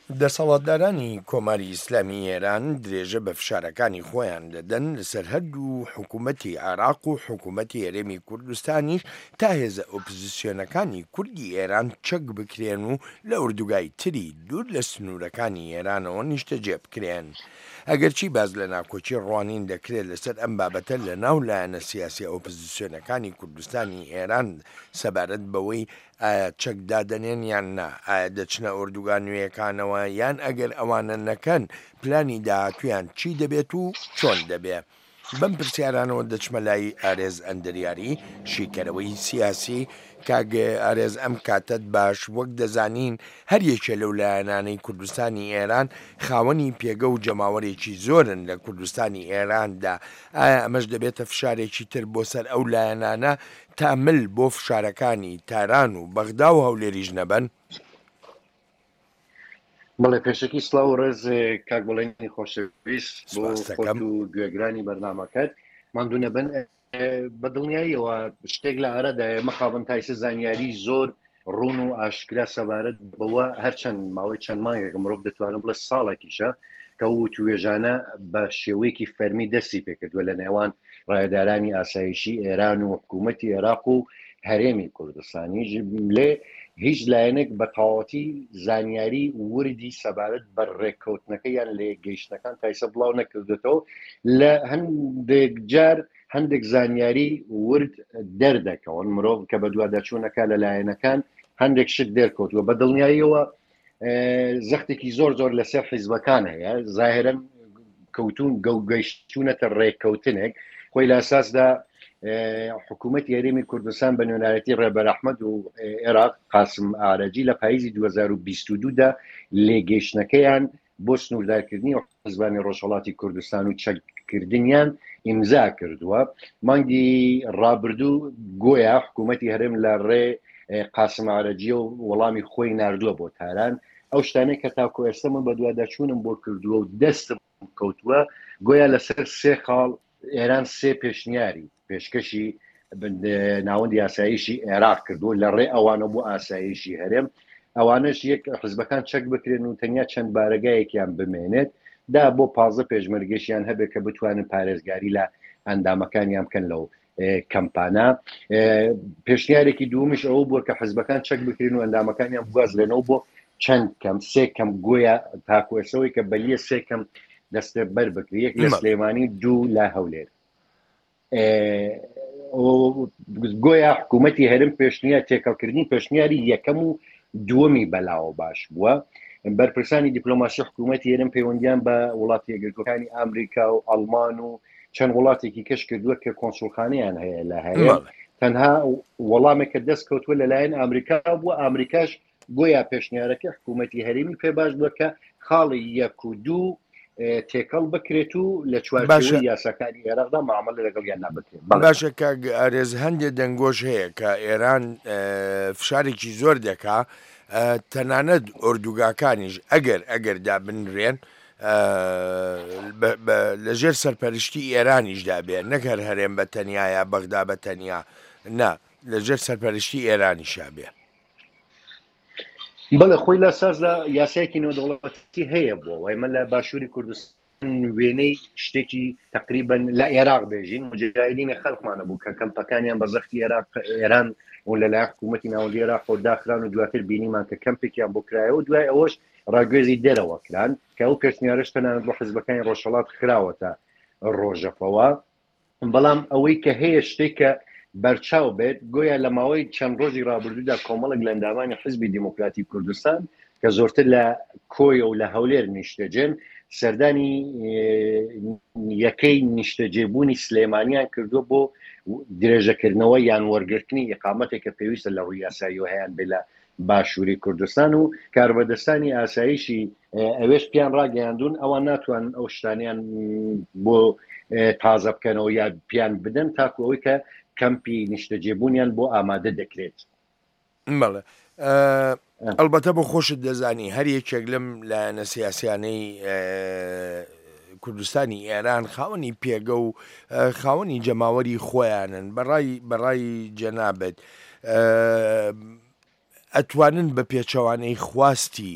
دەسەڵاتدارانی کۆماری ئیسلامی ئێران درێژە بە فشارەکانی خۆیان دەدەن لەسەر هەردوو حکوومەتی عێراق و حکوومەتی هەرێمی کوردستانیش تا هێزە ئۆپزسیۆنەکانی کوردی ئێران چەک بکرێن و لە ئوردوگای تری دوور لە سنوورەکانی ئێرانەوە نیشتەجێ بکرێن. ئەگەرچی باس لە ناکۆکی ڕوانین دەکرێت لەسەر ئەم بابەتە لە ناو لایەنە سیاسیە ئۆپزسیۆنەکانی کوردستانی ئێران سەبارەت بەوەی ئایا چەک دادەنێن یان نا، ئایا دەچنە ئۆردوگا نوێیەکانەوە یان ئەگەر ئەوانە نەکەن پلانی داهاتوویان چی دەبێت و چۆن دەبێ؟ بەم پرسیارانەوە دەچمە لای ئارێز ئەندریاری، شیکەرەوەی سیاسی. کاک ئارێز ئەم کاتەت باش، وەک دەزانین هەر یەکێ لەو لایەنانەی کوردستانی ئێران خاوەنی پێگە و جەماوەرێکی زۆرن لە کوردستانی ئێراندا، ئایا ئەمەش دەبێتە فشارێکی تر بۆ سەر ئەو لایەنانە تا مل بۆ فشارەکانی تاران و بەغدا و هەولێریش نەبەن؟ بەڵێ پێشەکی سڵاو و ڕێز کاک بەڵێنی خۆشەویست بۆ خۆت و گوێگرانی بەرنامەکەت ماندوو نەبن بە دڵنیاییەوە شتێک لە ئارادایە مەخابن تایسە زانیاری زۆر ڕوون و ئاشکرا سەبارەت بەوە هەرچەند ماوەی چەند مانگێکە مرۆڤ دەتوانم بڵێ ساڵێکیشە کە وتوێژانە بە شێوەیەکی فەرمی دەستی پێکردووە لە نێوان ڕایەدارانی ئاسایشی ئێران و حکوومەتی عێراق و هەرێمی کوردستانیش لێ هیچ لایەنێک بە تەواوەتی زانیاری وردی سەبارەت بە ڕێککەوتنەکە یان لەیەکگەیشتنەکان تایسە بڵاو نەکردێتەوە لە هەندێک جار هەندێک زانیاری ورد دەردەکەون مرۆڤ کە بەدواداچوونەکە لە لایەنەکان هەندێک شت دەرکەوتووە بە دڵنیاییەوە زەختێکی زۆر زۆر لەسەر حیزبەکان هەیە زاهرن کەوتون گەوگەیشتونەتە ڕێککەوتنێک خۆی لە ئەساسدا حکوومەت هەرێمی کوردستان بە نوێنایەتی ڕێبەر ئەحمەد و عێراق قاسم ئارەجی لە پاییزی 2022 دا لێگەیشتنەکەیان بۆ سنووردارکردنی حزبانی ڕۆژهەڵاتی کوردستان و چەککردنیان ئیمزا کردووە مانگی ڕابردوو گۆیا حکوومەتی هەرێم لە ڕێ قاسم عرەجیە و وەڵامی خۆی ناردووە بۆ تاران ئەو شتانەی کە تاکو ئێستا من بەدواداچوونم بۆ کردووە و دەستم کەوتووە گۆیا لەسەر سێ خاڵ ئێران سێ پێشنیاری پێشکەشی ناوەندی ئاسایشی عێراق کردو لە ڕێ ئەوانە بۆ ئاسایشی هەرێم ئەوانەش یەک حزبەکان چەک بکرێن و تەنیا چەند بارەگایەکیان بمێنێت دا بۆ 15 پێشمەرگەشیان هەبێت کە بتوانن پارێزگاری لە ئەندامەکانیان بکەن لەو کەمپانە پێشنیارێکی دوومیش ئەوە بووە کە حزبەکان چەک بکرێن و ئەندامەکانیان بگوازرێنەوە بۆ چەند کەم سێ کەم گۆیا تاکو ئێسەوەی کە بەلیە سێ کەم دەستە بەر بکری یەک لە سلێمانی دوو لە هەولێر گۆیا حکوومەتی هەرم پێشنیار تێکەڵکردنی پێشنیاری یەکەم و دووەمی بەلاوە باش بووە بەرپرسانی دیپلۆماسی حکوومەتی هەرم پەیوەندیان بە وڵاتی یەکگرتووەکانی ئەمریکا و ئەڵمان و چەند وڵاتێکی کەش کردووە کە کۆنسوڵخانەیان هەیە لە هەرێم تەنها وەڵامێک کە دەست کەوتووە لەلایەن ئەمریکا بووە ئەمریکاش گۆیا پێشنیارەکە حکوومەتی هەرێمی پێ باش بووە کە خاڵی یەک و دوو تێکەڵ بکرێت و لە چوارچێوەی یاساکانی عێراقدا معاملە لەگەڵیان نابکرێت. باشە کاک ئارێز هەندێ دەنگۆش هەیە کە ئێران فشارێکی زۆر دەکا تەنانەت ئۆردوگاکانیش ئەگەر ئەگەر دابنرێن لە ژێر سەرپەرشتی ئێرانیشدا بێ نەک هەر هەرێم بە تەنیا یا بەغدا بە تەنیا نا لە ژێر سەرپەرشتی ئێرانیشا بێ. بەڵێ خۆی لە سازدا یاسایەکی نێودەوڵەتی هەیە بۆ ئێمە لە باشووری کوردستان وێنەی شتێکی تقریبا لە عێراق بێژین مجاهدینی خەلقمانە بوو کە کەمپەکانیان بە زەختی عێراق ئێران و لەلایەن حکوومەتی ناوەندی عێراق و داخران و دواتر بینیمان کە کەمپێکیان بۆ کرایەوە دوای ئەوەش ڕاگوێزی دەرەوە کران کە ئەو پێشنیارش تەنانەت بۆ حزبەکانی ڕۆژهەڵات خراوەتە ڕۆژەفەوە بەڵام ئەوەی کە هەیە شتێک کە بەرچاو بێت گۆیا لە ماوەی چەند ڕۆژی ڕابردوودا کۆمەڵێک لە ئەندامانی حزبی دیموکراتی کوردستان کە زۆرتر لە کۆیە و لە هەولێر نیشتەجێن سەردانی یەکەی نیشتەجێبوونی سلێمانیان کردووە بۆ درێژەکردنەوە یان وەرگرتنی ئیقامەتێک کە پێویستە لە ڕووی یاساییەوە هەیان بێ لە باشووری کوردستان و کاربەدەستانی ئاسایشی ئەوێش پیان ڕاگەیاندون ئەوان ناتوانن ئەو شتانیان بۆ تازە بکەنەوە یا پیان بدەن تاکو ئەوەی کە کەمپی نیشتەجێبوونیان بۆ ئامادە دەکرێت. بەڵێ ئەڵبەتە بۆ خۆشت دەزانی هەر یەکێک لەم لایەنە سیاسیانەی کوردستانی ئێران خاوەنی پێگە و خاوەنی جەماوەری خۆیانن بەڕای بەڕای جەنابت ئەتوانن بە پێچەوانەی خواستی.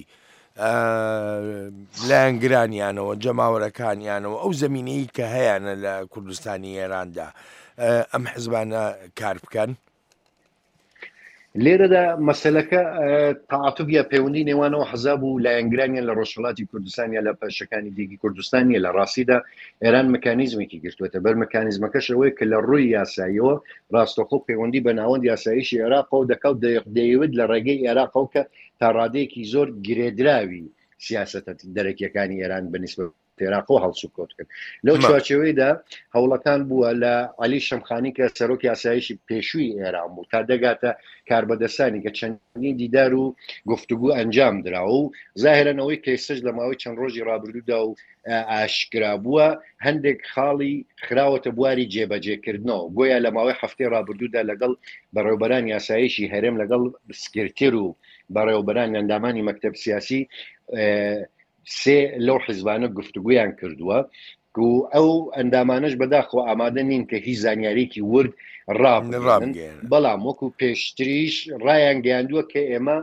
لایەنگرانیانەوە، جەماوەرەکانیانەوە، ئەو زەمینەی کە هەیانە لە کوردستانی ئێراندا ئەم حزبانە کار بکەن؟ لێرەدا مەسەلەکە تەعاتوف یا پەیوەندی نێوان ئەو حزاب و لایەنگرانیان لە ڕۆژهەڵاتی کوردستان یا لە پەرشەکانی دیکی کوردستان نیە. لە ڕاستیدا ئێران مکانیزمێکی گرتووەتە بەر، مکانیزمەکەش ئەوەیە کە لە ڕووی یاساییەوە ڕاستەوخۆ پەیوەندی بە ناوەند یاساییشی عێراقەوە دەکا و دەیەوێت لە ڕێگەی عێراقەوە کە تا ڕادەیەکی زۆر گرێدراوی سیاسەتە دەرەکیەکانی ئێران بە نیسبەت عێراقەوە هەڵسوکەوت کرد. لەو چوارچێوەیدا هەوڵەکان بووە لە عەلی شەمخانی کە سەرۆکی ئاسایشی پێشووی ئێران بوو تا دەگاتە کاربەدەستانی کە چەندین دیدار و گفتوگو ئەنجام دراوە و زاهرەن ئەوەی کە ئێستاش لە ماوەی چەند ڕۆژی ڕابردوودا و ئاشکرا بووە هەندێک خاڵی خراوەتە بواری جێبەجێکردنەوە، گۆیا لە ماوەی هەفتەی ڕابردوودا لەگەڵ بەڕێوبەرانی ئاسایشی هەرێم لەگەڵ سکرتێر و بەڕێوبەران ئەندامانی مەکتەب سیاسی سێ لەو حزبانە گفتوگویان کردووە و ئەو ئەندامانەش بەداخەوە ئامادە نین کە هیچ زانیاریکی ورد ڕابگەیەنن، بەڵام وەکو پێشتریش ڕایان گەیاندووە کە ئێمە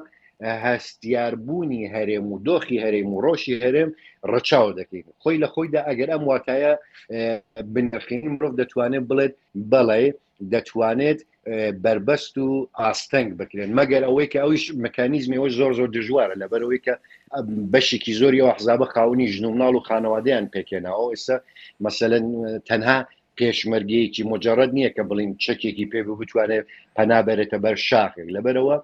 هەستیاربوونی هەرێم و دۆخی هەرێم و ڕۆشی هەرێم ڕەچاو دەکەین. خۆی لە خۆیدا ئەگەر ئەم واتایە بنرخێنین مرۆڤ دەتوانێت بڵێت بەڵێ دەتوانێت بەربەست و ئاستەنگ بکرێن، مەگەر ئەوەی کە ئەویش مکانیزمی ئەوەش زۆر زۆر دژوارە، لەبەرئەوەی کە بەشێکی زۆری ئەو ئەحزابە خاوەنی ژن و مناڵ و خانەوادەیان پێکهێناوە. ئێستا مەسەلەن تەنها پێشمەرگەیەکی مجرد نییە کە بڵین چەکێکی پێ بتوانێت پەنا بەرێتە بەر شاخێک. لەبەرەوە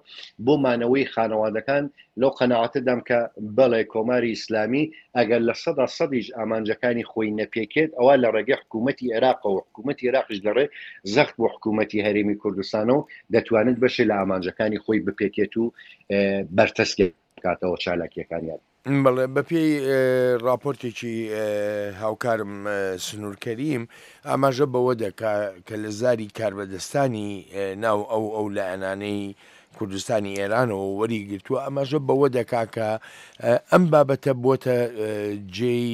بۆ مانەوەی خانەوادەکان لەو قەناعەتەدام کە بەڵێ کۆماری ئیسلامی ئەگەر لە سەدا سەدیش ئامانجەکانی خۆی نەپێکێت ئەوا لە ڕێگەی حکوومەتی عێراقەوە حکوومەتی عێراقیش لە ڕێ زەخت بۆ حکوومەتی هەرێمی کوردستانەوە دەتوانێت بەشێ لە ئامانجەکانی خۆی بپێکێت و بەرتەسک بکاتەوە چالاکییەکانیان. بەڵێ، بەپێی ڕاپۆرتێکی هاوکارم سنوور کەریم ئاماژە بەوە دەکا کە لە زاری کاربەدەستانی ناو ئەو ئەو لایەنانەی کوردستانی ئێرانەوە وەری گرتووە ئاماژە بەوە دەکا کە ئەم بابەتە بۆتە جێی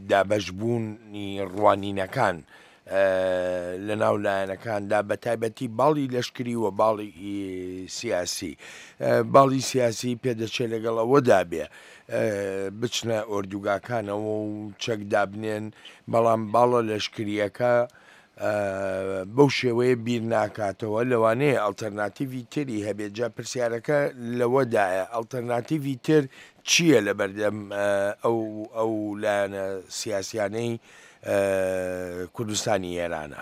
دابەشبوونی ڕوانینەکان لە ناو لایەنەکاندا بە تایبەتی باڵی لەشکری و باڵی سیاسی. باڵی سیاسی پێدەچێ لەگەڵ ئەوەدا بێ بچنە ئۆردوگاکانەوە و چەک دابنێن، بەڵام باڵە لەشکرییەکە بەو شێوەیە بیر ناکاتەوە، لەوانەیە ئەڵتەرناتیڤی تری هەبێت، جا پرسیارەکە لەوەدایە ئەڵتەرناتیڤی تر چییە لەبەردەم ئەو ئەو لایەنە سیاسیانەی کوردستانی ئێرانە؟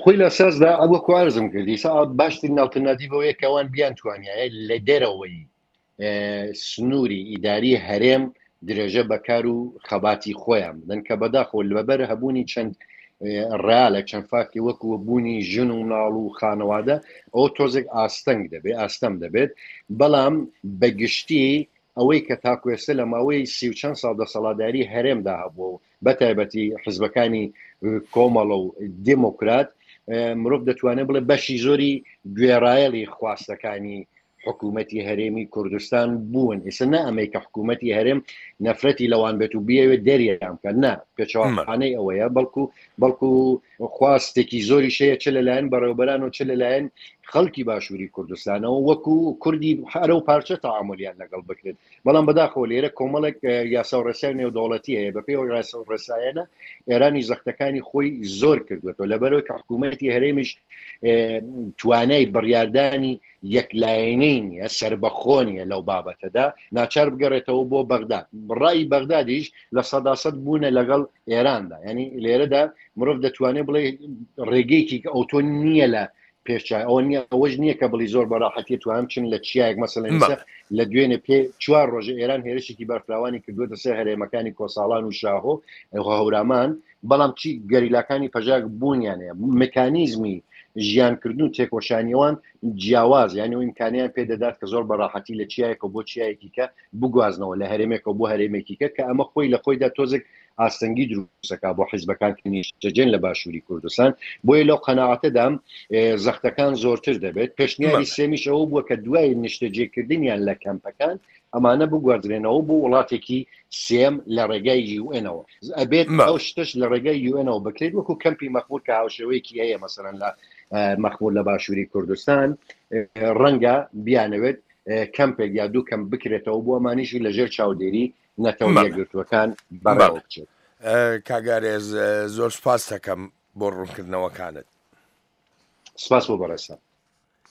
خۆی لە ئەساسدا وەکو عەرزم کرد ئیسا باشترین ئەڵتەرناتیڤ ئەوەیە کە ئەوان بیانتوانیایە لە دەرەوەی سنووری ئیداری هەرێم درێژە بە کار و خەباتی خۆیان بدەن کە بەداخەوە لەبەر هەبوونی چەند ڕالە چەند فاکتی وەکو بوونی ژن و مناڵ و خانەوادە ئەو تۆزێک ئاستەنگ دەبێت ئاستەم دەبێت بەڵام بەگشتی ئەوەی کە تاکو ئێستا لە ماوەی سی و چەند ساڵ دەسەڵاتداری هەرێمدا هەبووە و بەتایبەتی حزبەکانی کۆمەڵە و دێمۆکرات مرۆڤ دەتوانێت بڵێ بەشی زۆری گوێڕایەڵی خواستەکانی حکوومەتی هەرێمی کوردستان بوون. ئێستا نە ئەمەی کە حکوومەتی هەرێم نەفرەتی لەوان بێت و بیەوێت دەریان بکات، نا، پێچەوانەی ئەوەیە، بەڵکو بەڵکو خواستێکی زۆریش هەیە چ لەلایەن بەڕێوەبەران و چ لەلایەن خەڵکی باشووری کوردستانەوە وەکو کوردی هەرە و پارچە تەعامولیان لەگەڵ بکرێت. بەڵام بەداخەوە لێرە کۆمەڵێک یاسا و ڕێسای نێودەوڵەتی هەیە، بەپێی ئەو یاسا و ڕێسایانە ئێرانی زەختەکانی خۆی زۆر کردوێتەوە، لەبەرەوەی کە حکوومەتی هەرێمیش توانای بڕیاردانی یەکلایەنەی نییە، سەربەخۆ نییە لەو بابەتەدا، ناچار بگەڕێتەوە بۆ بەغدا. ڕای بەغدادیش 100% بوونە لەگەڵ ئێراندا. ینی لێرەدا مرۆڤ دەتوانێت بڵێ ڕێگەیەکی ئەوتۆ نییە لە پێشچای ئەوە نییە، ئەوەش نییە کە بڵی زۆر بەڕاحەتی توانم چن لە چیایەک مەسەلەن ئێستا لە دوێنێ پێ چوار ڕۆژە ئێران هێرشێکی بەرفراوانی کردووەتە سەر هەرێمەکانی کۆساڵان و شاهۆ هەورامان، بەڵام چی گەریلاکانی پەژاک بوونیان هەیە، مکانیزمی ژیانکردن و تێکۆشانی ئەوان جیاواز، یعنی ئەو ئیمکانیان پێ دەدات کە زۆر بەڕاحەتی لە چیایەکەوە بۆ چیایەکی کە بگوازنەوە، لە هەرێمێکەوە بۆ هەرێمێکی کە، کە ئەمە خۆی لە خۆیدا تۆزێک ئاستەنگی دروستەکا بۆ حیزبەکان کە نیشتەجێن لە باشووری کوردستان. بۆیە لەو قەناعەتەدام زەختەکان زۆرتر دەبێت. پێشنیاری سێمیش ئەوە بووە کە دوای نیشتەجێکردنیان لە کەمپەکان ئەمانە بگوازرێنەوە بۆ وڵاتێکی سێم لە ڕێگای یوئێنەوە. ئەبێت ئەو شتەش لە ڕێگای یوئێنەوە بکرێت، وەکو کەمپی مەخمور کە هاوشێوەیەکی هەیە مەسەلەن لە مەخمور لە باشووری کوردستان، ڕەنگە بیانەوێت. کەمپێک یا دوو کەمپ بکرێتەوە بۆ ئەمانیشی لەژێر چاودێری نەتەوە یەکگرتووەکان بەڕێوە بچێت. کاک ئارێز زۆر سوپاست دەکەم بۆ ڕوونکردنەوەکانت. سپاس بۆ بەڕێزتان.